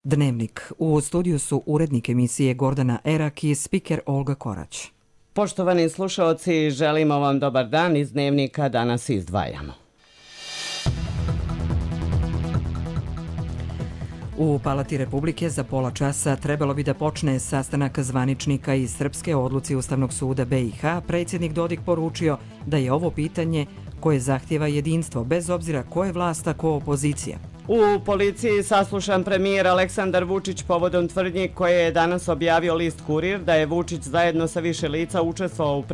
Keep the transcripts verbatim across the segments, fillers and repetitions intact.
Dnevnik. U studiju su urednik emisije Gordana Erak i spiker Olga Korać. Poštovani slušaoci, želimo vam dobar dan. Iz Dnevnika danas izdvajamo. U Palati Republike za pola časa trebalo bi da počne sastanak zvaničnika iz Srpske o odluci Ustavnog suda B i H. Predsjednik Dodik poručio da je ovo pitanje koje zahtjeva jedinstvo, bez obzira ko je vlast, a ko opozicija. U policiji saslušan premijer Aleksandar Vučić povodom tvrdnji koje je danas objavio list Kurir da je Vučić zajedno sa više lica učestvovao u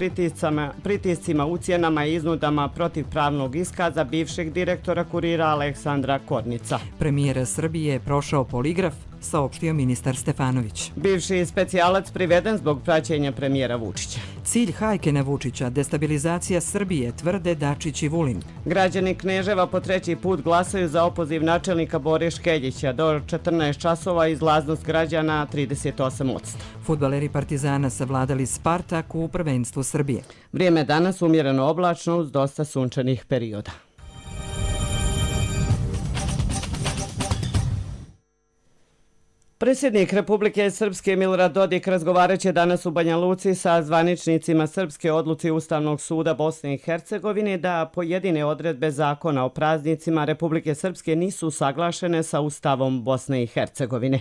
pritiscima, ucjenama i iznudama protiv pravnog iskaza bivšeg direktora Kurira Aleksandra Kornica. Premijer Srbije je prošao poligraf, saopštio ministar Stefanović. Bivši specijalac priveden zbog praćenja premijera Vučića. Cilj hajke na Vučića, destabilizacija Srbije, tvrde Dačić i Vulin. Građani Kneževa po treći put glasaju za opoziv načelnika Bore Škeljića. Do četrnaest časova izlaznost građana trideset osam posto. Fudbaleri Partizana savladali Spartak u prvenstvu Srbije. Vrijeme danas umjereno oblačno uz dosta sunčanih perioda. Predsjednik Republike Srpske Milorad Dodik razgovarat će danas u Banja Luci sa zvaničnicima Srpske odluci Ustavnog suda Bosne i Hercegovine da pojedine odredbe zakona o praznicima Republike Srpske nisu usaglašene sa Ustavom Bosne i Hercegovine.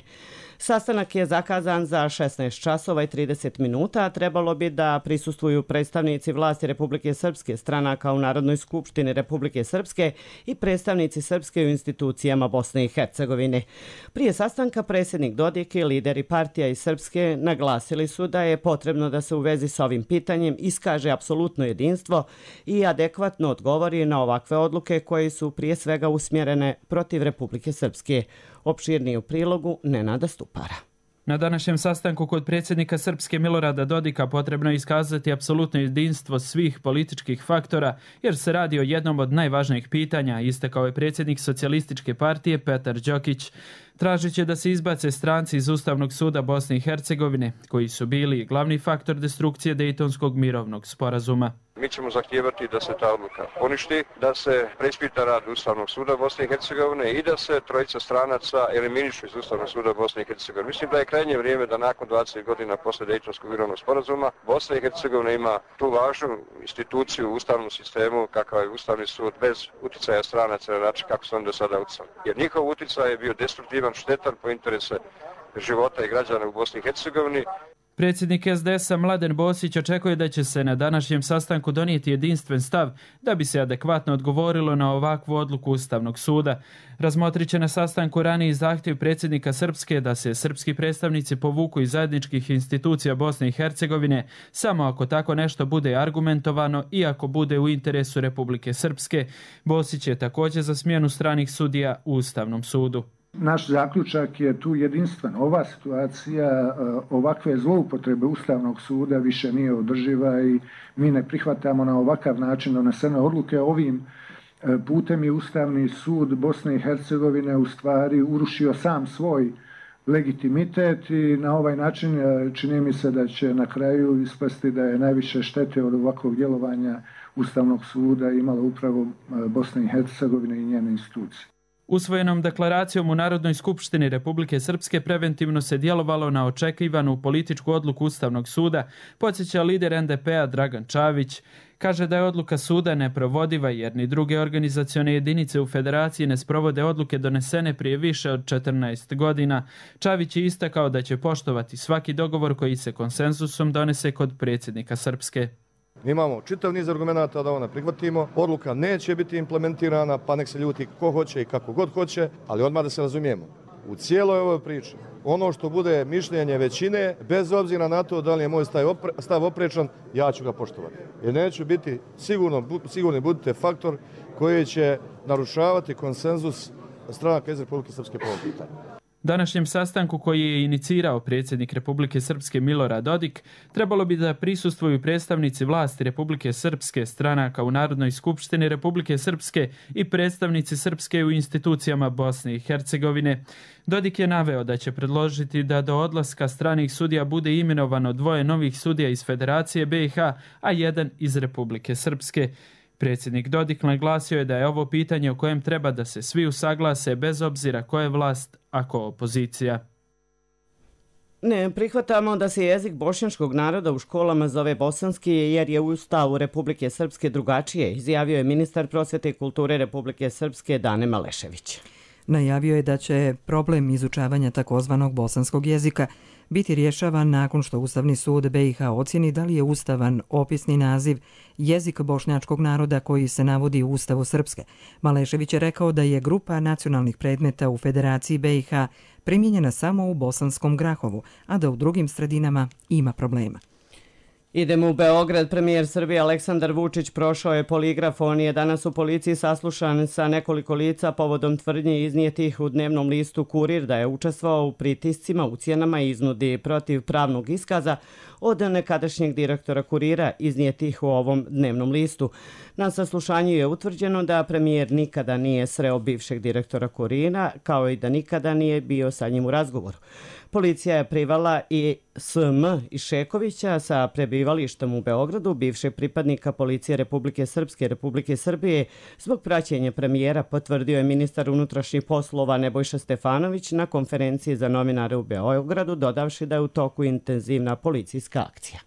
Sastanak je zakazan za šesnaest časova i trideset minuta, a trebalo bi da prisustvuju predstavnici vlasti Republike Srpske, stranaka u Narodnoj skupštini Republike Srpske i predstavnici Srpske u institucijama Bosne i Hercegovine. Prije sastanka predsjednik Dodik i lideri partija iz Srpske naglasili su da je potrebno da se u vezi s ovim pitanjem iskaže apsolutno jedinstvo i adekvatno odgovori na ovakve odluke koje su prije svega usmjerene protiv Republike Srpske. Opširnije u prilogu Nenada Stupara. Na današnjem sastanku kod predsjednika Srpske Milorada Dodika potrebno je iskazati apsolutno jedinstvo svih političkih faktora, jer se radi o jednom od najvažnijih pitanja, istakao je predsjednik Socijalističke partije Petar Đokić. Tražit će da se izbace stranci iz Ustavnog suda Bosne i Hercegovine, koji su bili glavni faktor destrukcije Dejtonskog mirovnog sporazuma. Mi ćemo zahtijevati da se ta odluka poništi, da se preispita rad Ustavnog suda Bosne i Hercegovine i da se trojica stranaca eliminišu iz Ustavnog suda Bosne i Hercegovine. Mislim da je krajnje vrijeme da nakon dvadeset godina posle Dejtonskog mirovnog sporazuma Bosna i Hercegovina ima tu važnu instituciju u ustavnom sistemu kakav je Ustavni sud bez uticaja stranaca na način kako su oni do sada uticali. Jer njihov uticaj je bio destruktivan, štetan po interese života i građana u Bosni i Hercegovini. Predsjednik S D S-a Mladen Bosić očekuje da će se na današnjem sastanku donijeti jedinstven stav da bi se adekvatno odgovorilo na ovakvu odluku Ustavnog suda. Razmotrit će na sastanku raniji zahtjev predsjednika Srpske da se srpski predstavnici povuku iz zajedničkih institucija Bosne i Hercegovine samo ako tako nešto bude argumentovano i ako bude u interesu Republike Srpske. Bosić je također za smjenu stranih sudija u Ustavnom sudu. Naš zaključak je tu jedinstven. Ova situacija, ovakve zloupotrebe Ustavnog suda više nije održiva i mi ne prihvatamo na ovakav način donesene odluke. Ovim putem je Ustavni sud Bosne i Hercegovine u stvari urušio sam svoj legitimitet i na ovaj način čini mi se da će na kraju ispasti da je najviše štete od ovakvog djelovanja Ustavnog suda imala upravo Bosna i Hercegovina i njene institucije. Usvojenom deklaracijom u Narodnoj skupštini Republike Srpske preventivno se djelovalo na očekivanu političku odluku Ustavnog suda, podsjeća lider N D P-a Dragan Čavić. Kaže da je odluka suda neprovodiva jer ni druge organizacione jedinice u federaciji ne sprovode odluke donesene prije više od četrnaest godina. Čavić je istakao da će poštovati svaki dogovor koji se konsenzusom donese kod predsjednika Srpske. Imamo čitav niz argumenata da ovo ne prihvatimo. Odluka neće biti implementirana, pa nek se ljuti ko hoće i kako god hoće, ali odmah da se razumijemo. U cijeloj ovoj priči, ono što bude mišljenje većine, bez obzira na to da li je moj stav oprečan, ja ću ga poštovati. Jer neću biti, sigurno, sigurni budite faktor koji će narušavati konsenzus stranaka iz Republike Srpske po ovom pitanju. Današnjem sastanku koji je inicirao predsjednik Republike Srpske Milorad Dodik, trebalo bi da prisustvuju predstavnici vlasti Republike Srpske, stranaka u Narodnoj skupštini Republike Srpske i predstavnici Srpske u institucijama Bosne i Hercegovine. Dodik je naveo da će predložiti da do odlaska stranih sudija bude imenovano dvoje novih sudija iz Federacije B i H, a jedan iz Republike Srpske. Predsjednik Dodik naglasio je da je ovo pitanje o kojem treba da se svi usaglase bez obzira ko je vlast, a ko opozicija. Ne prihvatamo da se jezik bošnjačkog naroda u školama zove bosanski jer je u Ustavu Republike Srpske drugačije, izjavio je ministar prosvete i kulture Republike Srpske Dane Malešević. Najavio je da će problem izučavanja takozvanog bosanskog jezika biti rješavan nakon što Ustavni sud B i H ocjeni da li je ustavan opisni naziv jezik bošnjačkog naroda koji se navodi u Ustavu Srpske. Malešević je rekao da je grupa nacionalnih predmeta u Federaciji B i H primijenjena samo u Bosanskom Grahovu, a da u drugim sredinama ima problema. Idemo u Beograd. Premijer Srbije Aleksandar Vučić prošao je poligraf. On je danas u policiji saslušan sa nekoliko lica povodom tvrdnji iznijetih u dnevnom listu Kurir da je učestvovao u pritiscima, ucjenama i iznudi protiv pravnog iskaza od nekadašnjeg direktora Kurira iznijetih u ovom dnevnom listu. Na saslušanju je utvrđeno da premijer nikada nije sreo bivšeg direktora Kurira, kao i da nikada nije bio sa njim u razgovoru. Policija je privala i S M Išekovića sa prebivalištem u Beogradu, bivšeg pripadnika policije Republike Srpske Republike Srbije, zbog praćenja premijera, potvrdio je ministar unutrašnjih poslova Nebojša Stefanović na konferenciji za novinare u Beogradu, dodavši da je u toku intenzivna policijska akcija.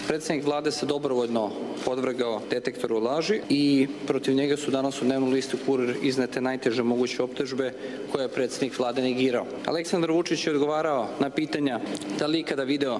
Predsjednik vlade se dobrovoljno podvrgao detektoru laži i protiv njega su danas u dnevnom listu Kurir iznete najteže moguće optužbe koje je predsjednik vlade negirao. Aleksandar Vučić je odgovarao na pitanja da li ikada video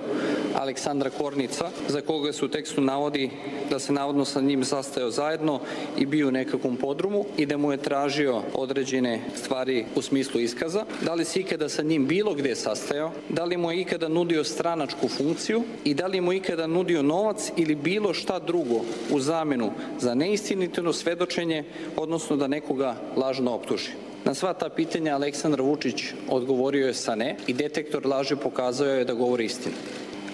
Aleksandra Kornica, za koga se u tekstu navodi da se navodno sa njim sastajao zajedno i bio u nekakvom podrumu i da mu je tražio određene stvari u smislu iskaza, da li se ikada sa njim bilo gde sastajao, da li mu je ikada nudio stranačku funkciju i da li mu ikada nudio novac ili bilo šta drugo u zamenu za neistinito svedočenje, odnosno da nekoga lažno optuži. Na sva ta pitanja Aleksandar Vučić odgovorio je sa ne i detektor laži pokazao je da govori istinu.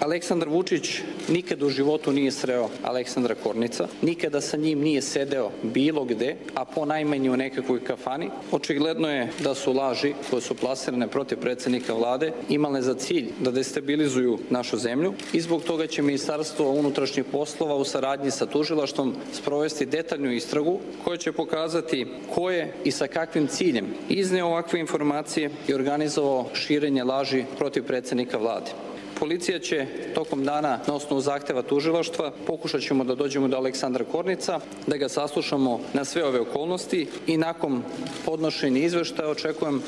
Aleksandar Vučić nikada u životu nije sreo Aleksandra Kornica, nikada sa njim nije sedeo bilo gde, a po najmanje u nekakvoj kafani. Očigledno je da su laži koje su plasirane protiv predsjednika vlade imale za cilj da destabilizuju našu zemlju i zbog toga će Ministarstvo unutrašnjih poslova u saradnji sa tužilaštvom sprovesti detaljnu istragu koja će pokazati ko je i sa kakvim ciljem izneo ovakve informacije i organizovao širenje laži protiv predsjednika vlade. Policija će tokom dana na osnovu zahteva tužilaštva pokušat ćemo da dođemo do Aleksandra Kornica, da ga saslušamo na sve ove okolnosti i nakon podnošenja izveštaja očekujem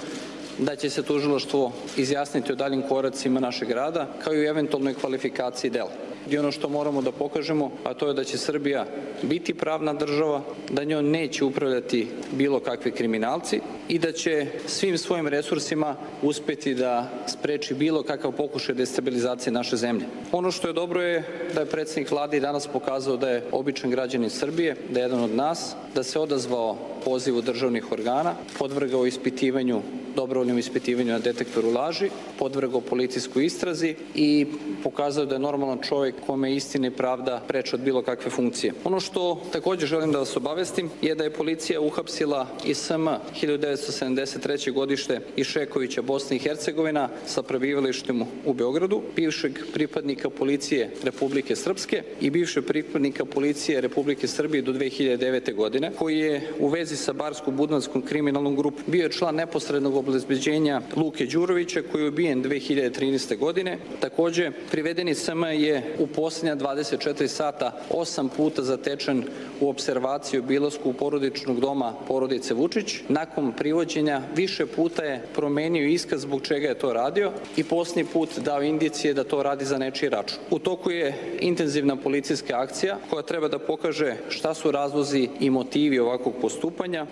da će se tužilaštvo izjasniti o daljim koracima našeg rada kao i u eventualnoj kvalifikaciji dela. I ono što moramo da pokažemo, a to je da će Srbija biti pravna država, da njoj neće upravljati bilo kakvi kriminalci i da će svim svojim resursima uspeti da spreči bilo kakav pokušaj destabilizacije naše zemlje. Ono što je dobro je da je predsjednik vlade i danas pokazao da je običan građanin Srbije, da je jedan od nas, da se odazvao pozivu državnih organa, podvrgao ispitivanju, dobrovoljnom ispitivanju na detektoru laži, podvrgao policijskoj istrazi i pokazao da je normalan čovjek kome je istina i pravda preče od bilo kakve funkcije. Ono što također želim da vas obavestim je da je policija uhapsila i S M hiljadu devetsto sedamdeset treće godište Išekovića Bosne i Hercegovina sa prebivalištem u Beogradu, bivšeg pripadnika policije Republike Srpske i bivšeg pripadnika policije Republike Srbije do dve hiljade devete. godine, koji je u vezi sa Barsko-Budvanskom kriminalnom grupom bio je član neposrednog obezbeđenja Luke Đurovića koji je ubijen dve hiljade trinaeste. godine. Takođe, privedeni S M je u posljednja dvadeset četiri sata osam puta zatečen u opservaciju obilasku porodičnog doma porodice Vučić. Nakon privođenja više puta je promenio iskaz zbog čega je to radio i posljednji put dao indicije da to radi za nečiji račun. U toku je intenzivna policijska akcija koja treba da pokaže šta su razlozi i motivi ovakvog postupanja.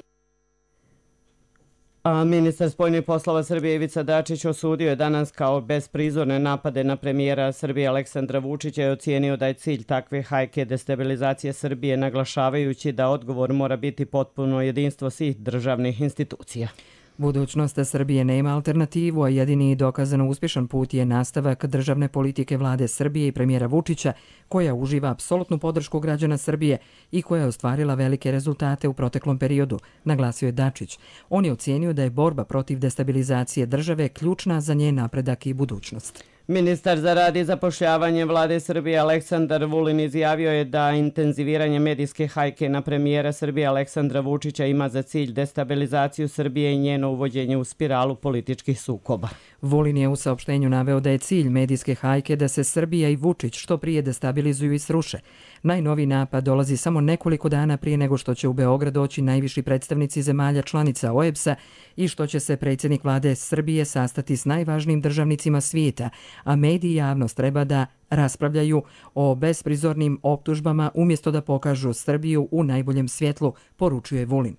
A ministar spoljnih poslova Srbije Ivica Dačić osudio je danas kao besprizorne napade na premijera Srbije Aleksandra Vučića i ocijenio da je cilj takve hajke destabilizacije Srbije, naglašavajući da odgovor mora biti potpuno jedinstvo svih državnih institucija. Budućnost Srbije nema alternativu, a jedini dokazano uspješan put je nastavak državne politike vlade Srbije i premijera Vučića, koja uživa apsolutnu podršku građana Srbije i koja je ostvarila velike rezultate u proteklom periodu, naglasio je Dačić. On je ocijenio da je borba protiv destabilizacije države ključna za njen napredak i budućnost. Ministar za rad i zapošljavanje vlade Srbije Aleksandar Vulin izjavio je da intenziviranje medijske hajke na premijera Srbije Aleksandra Vučića ima za cilj destabilizaciju Srbije i njeno uvođenje u spiralu političkih sukoba. Vulin je u saopštenju naveo da je cilj medijske hajke da se Srbija i Vučić što prije destabilizuju i sruše. Najnoviji napad dolazi samo nekoliko dana prije nego što će u Beograd doći najviši predstavnici zemalja članica O E B S-a i što će se predsjednik vlade Srbije sastati s najvažnijim državnicima svijeta, a mediji i javnost treba da raspravljaju o besprizornim optužbama umjesto da pokažu Srbiju u najboljem svjetlu, poručuje Vulin.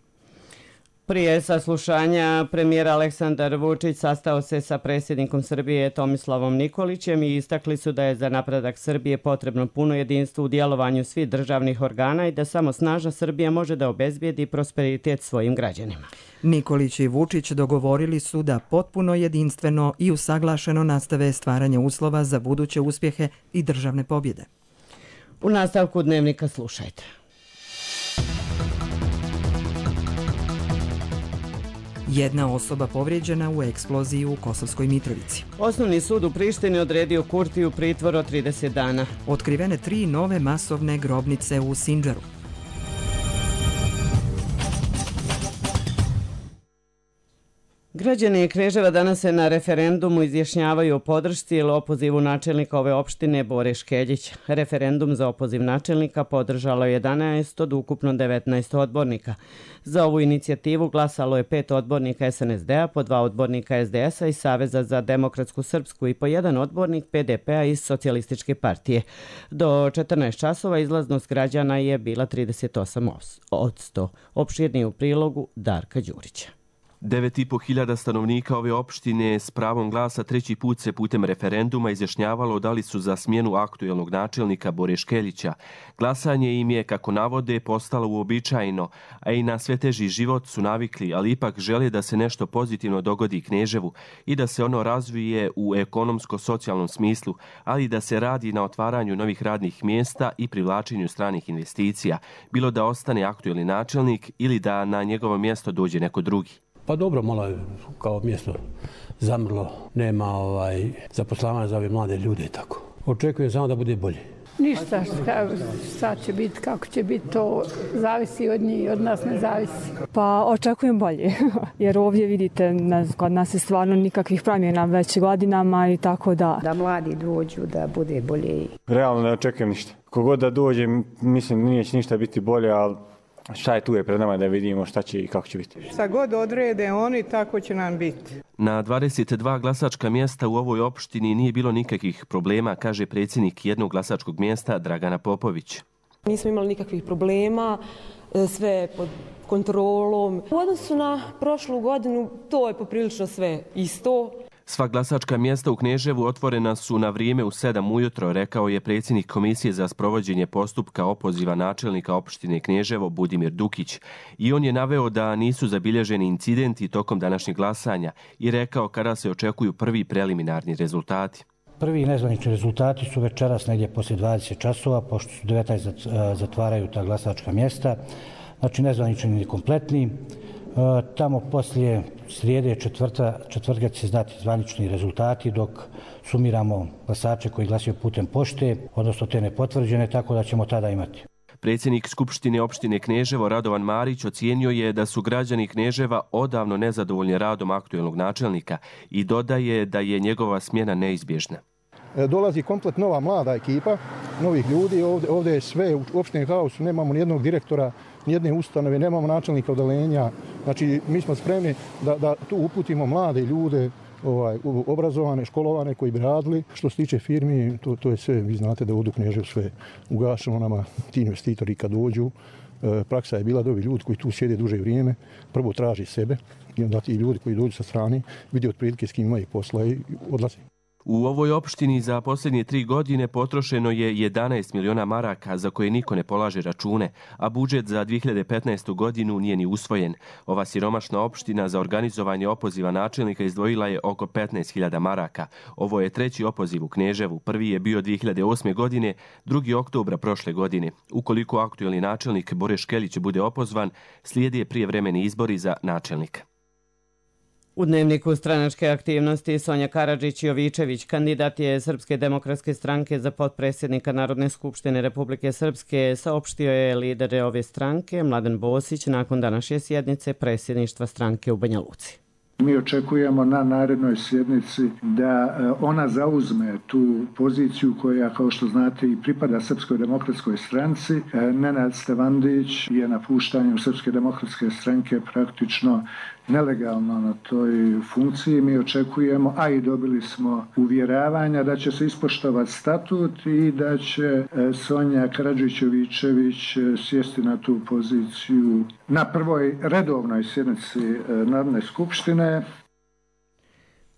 Prije saslušanja premijer Aleksandar Vučić sastao se sa predsjednikom Srbije Tomislavom Nikolićem i istakli su da je za napredak Srbije potrebno puno jedinstvo u djelovanju svih državnih organa i da samo snažna Srbija može da obezbijedi prosperitet svojim građanima. Nikolić i Vučić dogovorili su da potpuno jedinstveno i usaglašeno nastave stvaranje uslova za buduće uspjehe i državne pobjede. U nastavku dnevnika slušajte. Jedna osoba povrijeđena u eksploziji u Kosovskoj Mitrovici. Osnovni sud u Prištini odredio Kurtiju pritvor od trideset dana. Otkrivene tri nove masovne grobnice u Sindžaru. Građani Kneževa danas se na referendumu izjašnjavaju o podršci ili opozivu načelnika ove opštine Bore Škeljić. Referendum za opoziv načelnika podržalo je jedanaest od ukupno devetnaest odbornika. Za ovu inicijativu glasalo je pet odbornika S N S D-a, po dva odbornika S D S-a i Saveza za demokratsku srpsku i po jedan odbornik P D P-a iz Socijalističke partije. Do četrnaest časova izlaznost građana je bila trideset osam posto. Opširnije u prilogu Darka Đurića. devet i po hiljada stanovnika ove opštine s pravom glasa treći put se putem referenduma izjašnjavalo da li su za smjenu aktuelnog načelnika Bore Škeljića. Glasanje im je, kako navode, postalo uobičajeno, a i na sve teži život su navikli, ali ipak žele da se nešto pozitivno dogodi Kneževu i da se ono razvije u ekonomsko-socijalnom smislu, ali da se radi na otvaranju novih radnih mjesta i privlačenju stranih investicija, bilo da ostane aktuelni načelnik ili da na njegovo mjesto dođe neko drugi. Pa dobro, malo je kao mjesto zamrlo, nema ovaj, zaposlavanja za ove mlade ljude i tako. Očekujem samo da bude bolje. Ništa, šta, šta će biti, kako će biti, to zavisi od njih, od nas ne zavisi. Pa očekujem bolje, jer ovdje vidite, kod nas je stvarno nikakvih promjena već godinama i tako da... Da mladi dođu, da bude bolje. Realno ne očekujem ništa. Kogod da dođe, mislim, nije će ništa biti bolje, ali šta je tu je pred nama da vidimo šta će i kako će biti. Šta god odrede oni, tako će nam biti. Na dvadeset dva glasačka mjesta u ovoj opštini nije bilo nikakvih problema, kaže predsjednik jednog glasačkog mjesta Dragana Popović. Nismo imali nikakvih problema, sve pod kontrolom. U odnosu na prošlu godinu to je poprilično sve isto. Sva glasačka mjesta u Kneževu otvorena su na vrijeme u sedam ujutro, rekao je predsjednik Komisije za sprovođenje postupka opoziva načelnika opštine Kneževo Budimir Dukić. I on je naveo da nisu zabilježeni incidenti tokom današnjeg glasanja i rekao kada se očekuju prvi preliminarni rezultati. Prvi nezvanični rezultati su večeras negdje poslije dvadeset časova, pošto su devetnaest zatvaraju ta glasačka mjesta. Znači nezvanični i kompletni. Tamo poslije srijede četvrta, četvrtka će se znati zvanični rezultati dok sumiramo glasače koji glasaju putem pošte, odnosno te nepotvrđene, tako da ćemo tada imati. Predsjednik Skupštine opštine Kneževo Radovan Marić ocijenio je da su građani Kneževa odavno nezadovoljni radom aktuelnog načelnika i dodaje da je njegova smjena neizbježna. Dolazi komplet nova mlada ekipa, novih ljudi, ovdje, ovdje je sve u opštini haosu, nemamo nijednog direktora, nijedne ustanove, nemamo načelnika odeljenja. Znači, mi smo spremni da, da tu uputimo mlade ljude, ovaj, obrazovane, školovane koji bi radili. Što se tiče firmi, to, to je sve, vi znate da ovdje u Kneževu sve ugašeno nama, ti investitori kad dođu. E, praksa je bila da ovi ljudi koji tu sjede duže vrijeme, prvo traži sebe i onda ti ljudi koji dođu sa strane vidi otprilike s kim imaju posla i odlaze. U ovoj opštini za posljednje tri godine potrošeno je jedanaest miliona maraka za koje niko ne polaže račune, a budžet za dvije hiljade petnaestu. godinu nije ni usvojen. Ova siromašna opština za organizovanje opoziva načelnika izdvojila je oko petnaest hiljada maraka. Ovo je treći opoziv u Kneževu. Prvi je bio dvije hiljade osme. godine, drugi oktobra prošle godine. Ukoliko aktuelni načelnik Bore Škeljić bude opozvan, slijede prijevremeni izbori za načelnika. U dnevniku stranačke aktivnosti Sonja Karadžić-Jovičević, kandidat je Srpske demokratske stranke za potpredsjednika Narodne skupštine Republike Srpske, saopštio je lider ove stranke Mladen Bosić nakon današnje sjednice predsjedništva stranke u Banja Luci. Mi očekujemo na narednoj sjednici da ona zauzme tu poziciju koja, kao što znate, i pripada Srpskoj demokratskoj stranci. Nenad Stevandić je napuštanjem Srpske demokratske stranke praktično nelegalno na toj funkciji. Mi očekujemo, a i dobili smo uvjeravanja da će se ispoštovati statut i da će Sonja Karadžić-Jovičević sjesti na tu poziciju na prvoj redovnoj sjednici Narodne skupštine.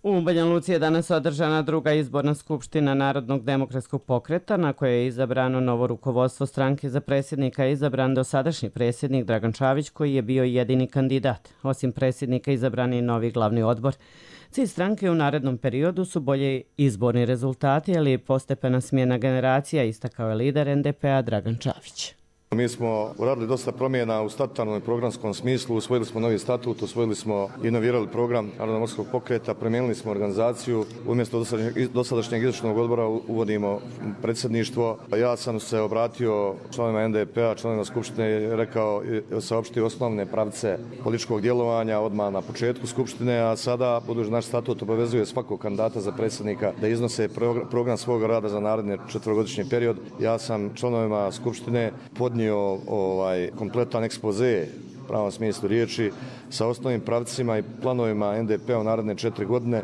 U Banja Luci je danas održana druga izborna skupština Narodnog demokratskog pokreta, na kojoj je izabrano novo rukovodstvo stranke. Za predsjednika je izabran dosadašnji predsjednik Dragan Čavić, koji je bio jedini kandidat. Osim predsjednika izabran je novi glavni odbor. Cilj stranke u narednom periodu su bolje izborni rezultati, ali i postepena smjena generacija, istakao je lider en de pe a Dragan Čavić. Mi smo uradili dosta promjena u statutarnom i programskom smislu, usvojili smo novi statut, usvojili smo i inovirali program Narodnog demokratskog pokreta, promijenili smo organizaciju, umjesto dosadašnjeg izvršnog odbora uvodimo predsjedništvo. Ja sam se obratio članovima en de pe a, članovima skupštine i rekao, saopštio osnovne pravce političkog djelovanja odmah na početku skupštine, a sada, budući naš statut obavezuje svakog kandidata za predsjednika da iznose program svog rada za naredni četverogodišnji period, ja sam članovima skupštine podnio ovaj kompletan ekspoze u pravom smislu riječi sa osnovnim pravcima i planovima en de pe a u naredne četiri godine.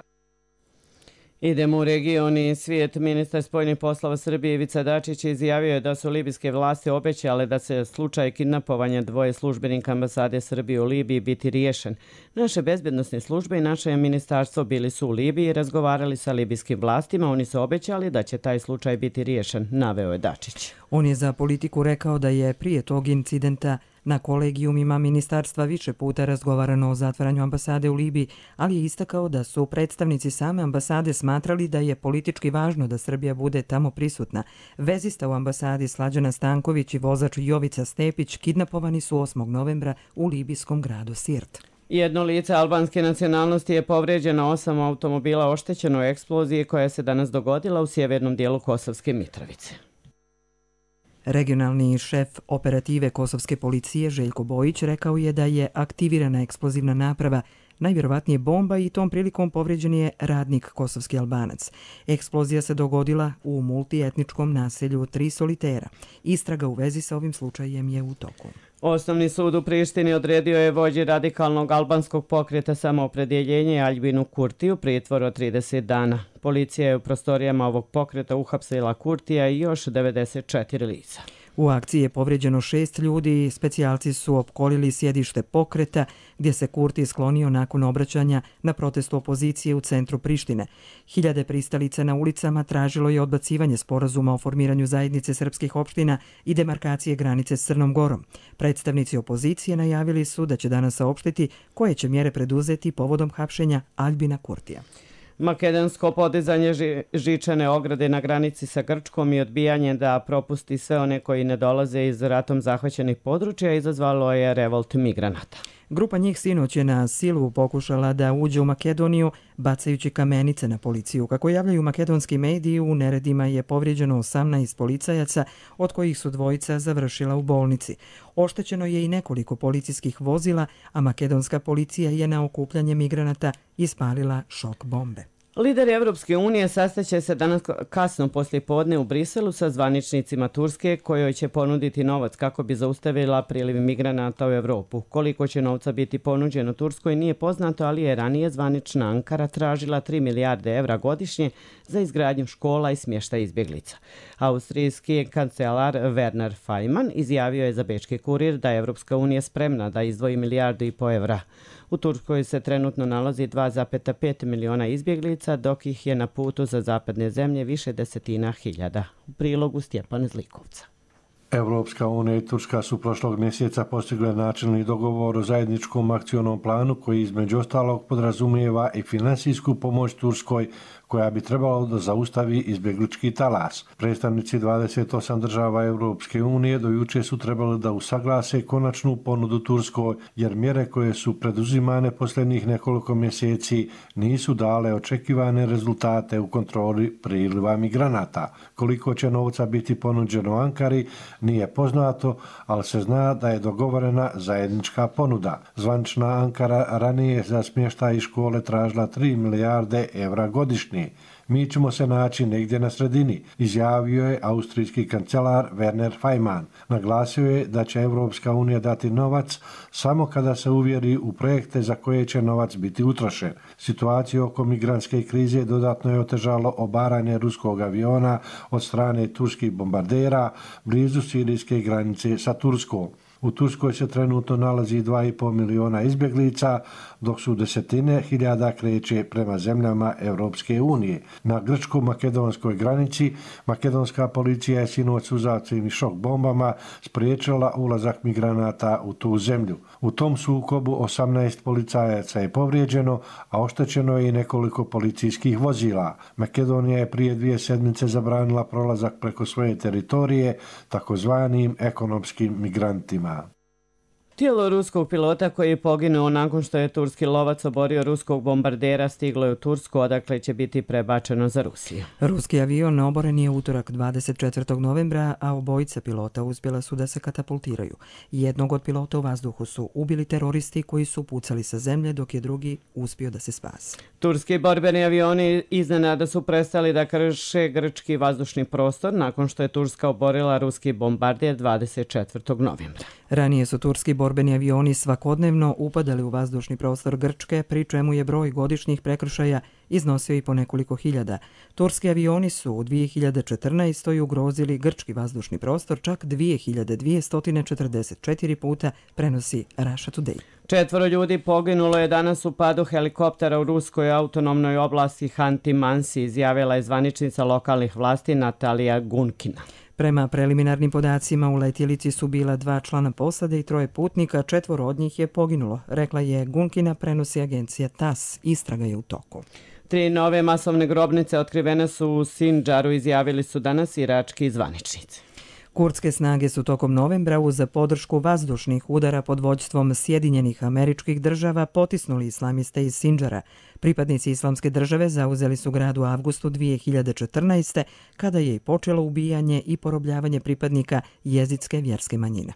Idemo u region i svijet. Ministar spoljnih poslova Srbije Ivica Dačić izjavio je da su libijske vlasti obećale da se slučaj kidnapovanja dvoje službenika ambasade Srbije u Libiji biti riješen. Naše bezbjednosne službe i naše ministarstvo bili su u Libiji i razgovarali sa libijskim vlastima. Oni su obećali da će taj slučaj biti riješen, naveo je Dačić. On je za Politiku rekao da je prije tog incidenta na kolegijumima ministarstva više puta razgovarano o zatvaranju ambasade u Libiji, ali je istakao da su predstavnici same ambasade smatrali da je politički važno da Srbija bude tamo prisutna. Vezista u ambasadi Slađana Stanković i vozač Jovica Stepić kidnapovani su osmog novembra u libijskom gradu Sirt. Jedno lice albanske nacionalnosti je povrijeđeno, osam automobila oštećeno u eksploziji koja se danas dogodila u sjevernom dijelu Kosovske Mitrovice. Regionalni šef operative kosovske policije Željko Bojić rekao je da je aktivirana eksplozivna naprava, najvjerovatnije bomba, i tom prilikom povrijeđen je radnik kosovski Albanac. Eksplozija se dogodila u multietničkom naselju Tri Solitera. Istraga u vezi sa ovim slučajem je u toku. Osnovni sud u Prištini odredio je vođi radikalnog albanskog pokreta Samoopredjeljenje Aljbinu Kurtiju pritvor od trideset dana. Policija je u prostorijama ovog pokreta uhapsila Kurtija i još devedeset četiri lica. U akciji je povrijeđeno šest ljudi, specijalci su opkolili sjedište pokreta gdje se Kurti sklonio nakon obraćanja na protestu opozicije u centru Prištine. Hiljade pristalica na ulicama tražilo je odbacivanje sporazuma o formiranju zajednice srpskih opština i demarkacije granice s Crnom Gorom. Predstavnici opozicije najavili su da će danas saopštiti koje će mjere preduzeti povodom hapšenja Aljbina Kurtija. Makedonsko podizanje ži, žičane ograde na granici sa Grčkom i odbijanje da propusti sve one koji ne dolaze iz ratom zahvaćenih područja izazvalo je revolt migranata. Grupa njih sinoć je na silu pokušala da uđe u Makedoniju bacajući kamenice na policiju. Kako javljaju makedonski mediji, u neredima je povrijeđeno osamnaest policajaca, od kojih su dvojica završila u bolnici. Oštećeno je i nekoliko policijskih vozila, a makedonska policija je na okupljanje migranata ispalila šok bombe. Lideri Evropske unije sastaće se danas kasno poslije podne u Briselu sa zvaničnicima Turske, kojoj će ponuditi novac kako bi zaustavila priliv migranata u Evropu. Koliko će novca biti ponuđeno Turskoj nije poznato, ali je ranije zvanična Ankara tražila tri milijarde evra godišnje za izgradnju škola i smještaj izbjeglica. Austrijski kancelar Werner Faymann izjavio je za Bečki kurir da je Evropska unija spremna da izdvoji milijardu i po evra. U Turskoj se trenutno nalazi dva zarez pet miliona izbjeglica, dok ih je na putu za zapadne zemlje više desetina hiljada. U prilogu Stjepan Zlikovca. Evropska unija i Turska su prošlog mjeseca postigle načelni dogovor o zajedničkom akcionom planu koji između ostalog podrazumijeva i finansijsku pomoć Turskoj koja bi trebalo da zaustavi izbjeglički talas. Predstavnici dvadeset osam država Europske unije do juče su trebali da usaglase konačnu ponudu Turskoj, jer mjere koje su preduzimane posljednjih nekoliko mjeseci nisu dale očekivane rezultate u kontroli priliva migranata. Koliko će novca biti ponuđeno Ankari nije poznato, ali se zna da je dogovorena zajednička ponuda. Zvanična Ankara ranije za smještaj i škole tražila tri milijarde evra godišnje. Mi ćemo se naći negdje na sredini, izjavio je austrijski kancelar Werner Faymann. Naglasio je da će Europska unija dati novac samo kada se uvjeri u projekte za koje će novac biti utrošen. Situaciju oko migrantske krize dodatno je otežalo obaranje ruskog aviona od strane turskih bombardera blizu sirijske granice sa Turskom. U Turskoj se trenutno nalazi dva i pol miliona izbjeglica, dok su desetine hiljada kreće prema zemljama Europske unije. Na grčko-makedonskoj granici makedonska policija je sinoć s uzavcem i šok bombama spriječila ulazak migranata u tu zemlju. U tom sukobu osamnaest policajaca je povrijeđeno, a oštećeno je i nekoliko policijskih vozila. Makedonija je prije dvije sedmice zabranila prolazak preko svoje teritorije takozvanim ekonomskim migrantima. Tijelo ruskog pilota koji je poginuo nakon što je turski lovac oborio ruskog bombardera stiglo je u Tursku, odakle će biti prebačeno za Rusiju. Ruski avion oboren je utorak dvadeset četvrtog novembra, a obojica pilota uspjela su da se katapultiraju. Jednog od pilota u vazduhu su ubili teroristi koji su pucali sa zemlje, dok je drugi uspio da se spase. Turski borbeni avioni iznenada su prestali da krše grčki vazdušni prostor nakon što je Turska oborila ruski bombarder dvadeset četvrtog novembra. Ranije su turski borbeni avioni svakodnevno upadali u vazdušni prostor Grčke, pri čemu je broj godišnjih prekršaja iznosio i po nekoliko hiljada. Turski avioni su u dvije hiljade četrnaestoj ugrozili grčki vazdušni prostor čak dvije hiljade dvjesto četrdeset četiri puta, prenosi Russia Today. Četvoro ljudi poginulo je danas u padu helikoptera u ruskoj autonomnoj oblasti Hanti-Mansi, izjavila je zvaničnica lokalnih vlasti Natalija Gunkina. Prema preliminarnim podacima u letjelici su bila dva člana posade i troje putnika, četvoro od njih je poginulo, rekla je Gunkina, prenosi agencija T A S. Istraga je u toku. Tri nove masovne grobnice otkrivene su u Sindžaru, izjavili su danas irački zvaničnici. Kurdske snage su tokom novembra uz podršku vazdušnih udara pod vođstvom Sjedinjenih Američkih Država potisnuli islamiste iz Sindžara. Pripadnici islamske države zauzeli su grad u avgustu dvije hiljade četrnaeste. kada je i počelo ubijanje i porobljavanje pripadnika jezidske vjerske manjine.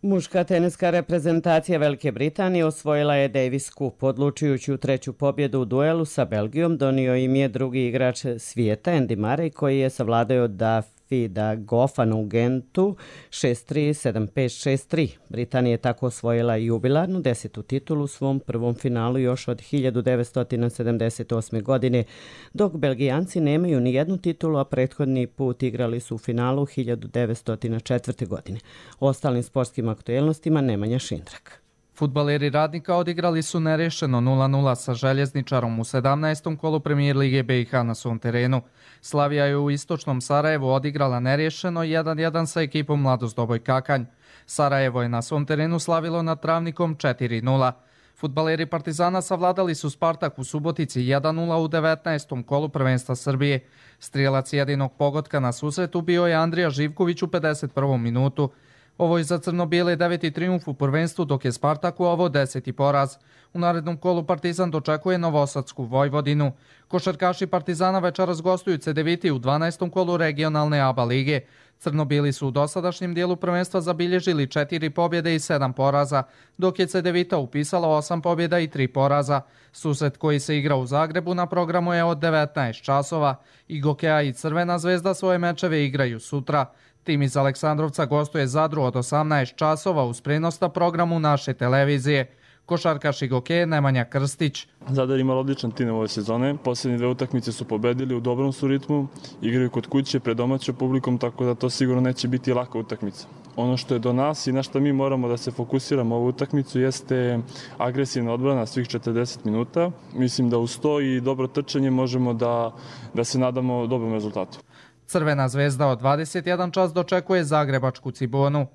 Muška teniska reprezentacija Velike Britanije osvojila je Davis Cup. Odlučujući u treću pobjedu u duelu sa Belgijom donio im je drugi igrač svijeta Andy Murray, koji je savladao Davida Goffana u Gentu šest tri, sedam pet, šest tri. Britanija je tako osvojila jubilarnu desetu titulu u svom prvom finalu još od hiljadu devetsto sedamdeset osme. godine, dok Belgijanci nemaju ni jednu titulu, a prethodni put igrali su u finalu hiljadu devetsto četvrte. godine. O ostalim sportskim aktuelnostima Nemanja Šindrak. Fudbaleri Radnika odigrali su nerešeno nula nula sa Željezničarom u sedamnaestom kolu Premijer Lige B i H na svom terenu. Slavija je u istočnom Sarajevu odigrala nerešeno jedan jedan sa ekipom Mladost Doboj Kakanj. Sarajevo je na svom terenu slavilo nad Travnikom četiri nula. Fudbaleri Partizana savladali su Spartak u Subotici jedan nula u devetnaestom kolu prvenstva Srbije. Strijelac jedinog pogotka na susretu bio je Andrija Živković u pedeset prvom minutu. Ovo je za crno-bijele deveti trijumf u prvenstvu, dok je Spartak u ovo deseti poraz. U narednom kolu Partizan dočekuje Novosadsku Vojvodinu. Košarkaši Partizana večeras gostuju Cedeviti u dvanaestom kolu regionalne A B A lige. Crno-bijeli su u dosadašnjem dijelu prvenstva zabilježili četiri pobjede i sedam poraza, dok je Cedevita upisala osam pobjeda i tri poraza. Susret koji se igra u Zagrebu na programu je od devetnaest časova. I Gokeja i Crvena zvezda svoje mečeve igraju sutra. Tim iz Aleksandrovca gostuje Zadru od osamnaest časova uz prenos na programu naše televizije. Košarkaš i Gokeje Nemanja Krstić. Zadar ima odličan tim ove sezone. Posljednje dve utakmice su pobedili, u dobrom su ritmu, igraju kod kuće pred domaćom publikom, tako da to sigurno neće biti laka utakmica. Ono što je do nas i na što mi moramo da se fokusiramo ovu utakmicu jeste agresivna odbrana svih četrdeset minuta. Mislim da uz to i dobro trčanje možemo da, da se nadamo dobrom rezultatu. Crvena zvezda od dvadeset jedan čas dočekuje zagrebačku Cibonu.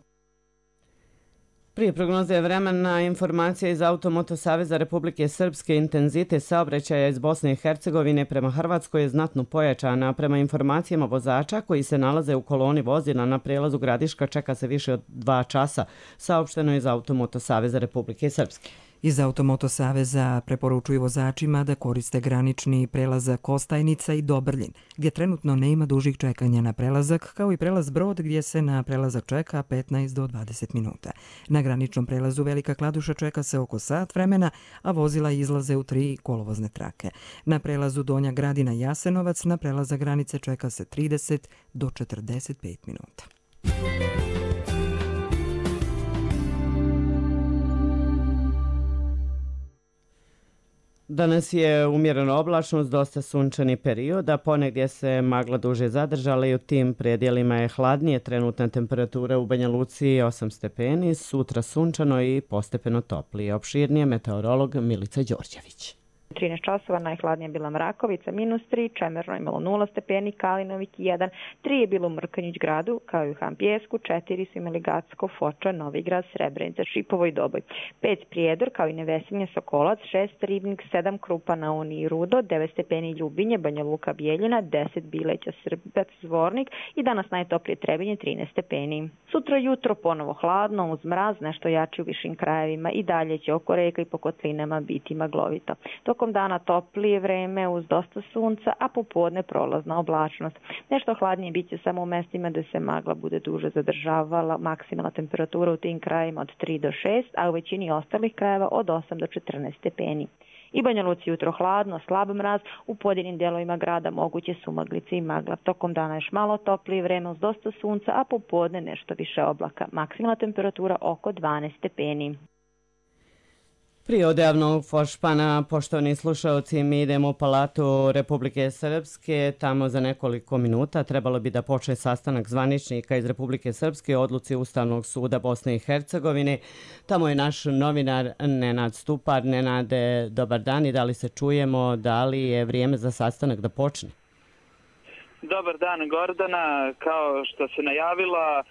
Prije prognoze vremena informacija iz Automoto Saveza Republike Srpske intenzitet saobraćaja iz Bosne i Hercegovine prema Hrvatskoj je znatno pojačana. Prema informacijama vozača koji se nalaze u koloni vozila na prelazu Gradiška čeka se više od dva časa, saopšteno je iz Automoto Saveza Republike Srpske. Iz Automoto Saveza preporučuju vozačima da koriste granični prelazak Kostajnica i Dobrljin, gdje trenutno nema dužih čekanja na prelazak, kao i prelaz Brod gdje se na prelazak čeka petnaest do dvadeset minuta. Na graničnom prelazu Velika Kladuša čeka se oko sat vremena, a vozila izlaze u tri kolovozne trake. Na prelazu Donja Gradina Jasenovac na prelazak granice čeka se trideset do četrdeset pet minuta. Danas je umjerena oblačnost, dosta sunčani period, a ponegdje se magla duže zadržala i u tim predjelima je hladnije. Trenutna temperatura u Banja Luci osam stepeni, sutra sunčano i postepeno toplije. Opširnije meteorolog Milica Đorđević. trinaest časova, najhladnija bila Mrakovica, minus tri, Čemerno imalo nula stepeni, Kalinovik jedan, tri je bilo u Mrkonjić gradu, kao i u Hampijesku, četiri su imali Gacko, Foča, Novigrad, Srebrenica, Šipovo i Doboj, pet Prijedor, kao i Nevesinje, Sokolac, šest Ribnik, sedam Krupa, Naoni i Rudo, devet stepeni Ljubinje, Banja Luka, Bijeljina, deset Bileća, Srbac, Zvornik i danas najtoplije Trebinje, trinaest stepeni. Sutra jutro ponovo hladno, uz mraz, nešto jači u višim krajevima i dalje će oko reka i po kotlinama biti maglovito. Tokom dana toplije vreme uz dosta sunca, a popodne prolazna oblačnost. Nešto hladnije bit će samo u mestima da se magla bude duže zadržavala, maksimalna temperatura u tim krajima od tri do šest, a u većini ostalih krajeva od osam do četrnaest stepeni. I Banja Luci jutro hladno, slab mraz, u pojedinim delovima grada moguće su maglice i magla. Tokom dana još malo toplije vreme uz dosta sunca, a popodne nešto više oblaka. Maksimalna temperatura oko dvanaest stepeni. Prije odjavnog Fošpana, poštovani slušalci, mi idemo u Palatu Republike Srpske. Tamo za nekoliko minuta trebalo bi da počne sastanak zvaničnika iz Republike Srpske o odluci Ustavnog suda Bosne i Hercegovine. Tamo je naš novinar Nenad Stupar. Nenade, dobar dan i da li se čujemo, da li je vrijeme za sastanak da počne? Dobar dan, Gordana. Kao što se najavila,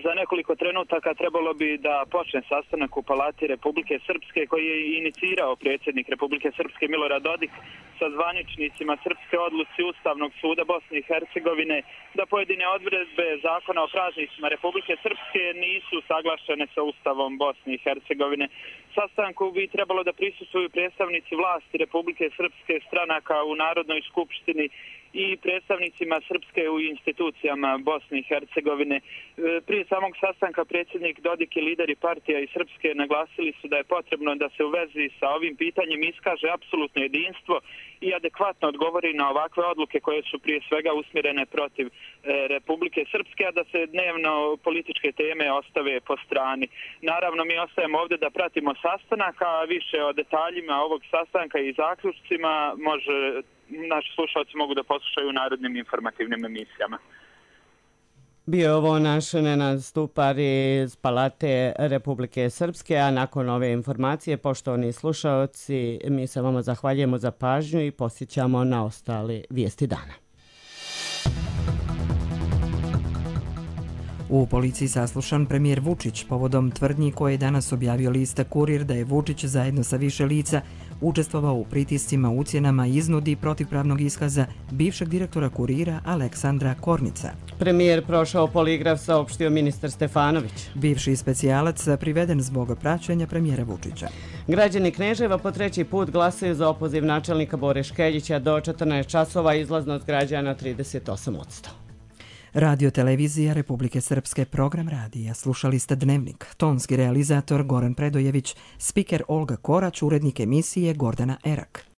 za nekoliko trenutaka trebalo bi da počne sastanak u Palati Republike Srpske koji je inicirao predsjednik Republike Srpske Milorad Dodik sa zvaničnicima srpske odluci Ustavnog suda Bosne i Hercegovine da pojedine odredbe zakona o praznicima Republike Srpske nisu saglašene sa Ustavom Bosne i Hercegovine. Sastanku bi trebalo da prisustvuju predstavnici vlasti Republike Srpske, stranaka u Narodnoj skupštini i predstavnicima Srpske u institucijama Bosne i Hercegovine. Prije samog sastanka predsjednik Dodik i lideri partija i Srpske naglasili su da je potrebno da se u vezi sa ovim pitanjem iskaže apsolutno jedinstvo i adekvatno odgovori na ovakve odluke koje su prije svega usmjerene protiv Republike Srpske, a da se dnevno političke teme ostave po strani. Naravno, mi ostajemo ovdje da pratimo sastanak, a više o detaljima ovog sastanka i zaključcima može naši slušalci mogu da poslušaju u narodnim informativnim emisijama. Bio je ovo naš Nenad Stupar iz Palate Republike Srpske, a nakon ove informacije, poštovani slušalci, mi se vama zahvaljujemo za pažnju i posjećamo na ostale vijesti dana. U policiji saslušan premijer Vučić povodom tvrdnji koje je danas objavio lista Kurir da je Vučić zajedno sa više lica učestvovao u pritiscima, ucjenama i iznudi protivpravnog iskaza bivšeg direktora Kurira Aleksandra Kornica. Premijer prošao poligraf, saopštio ministar Stefanović. Bivši specijalac priveden zbog praćenja premijera Vučića. Građani Kneževa po treći put glasaju za opoziv načelnika Bore Škeljića. Do četrnaest časova, izlaznost građana trideset osam posto. Radio Televizija Republike Srpske, program radija. Slušali ste Dnevnik. Tonski realizator Goran Predojević, spiker Olga Korać, urednik emisije Gordana Erak.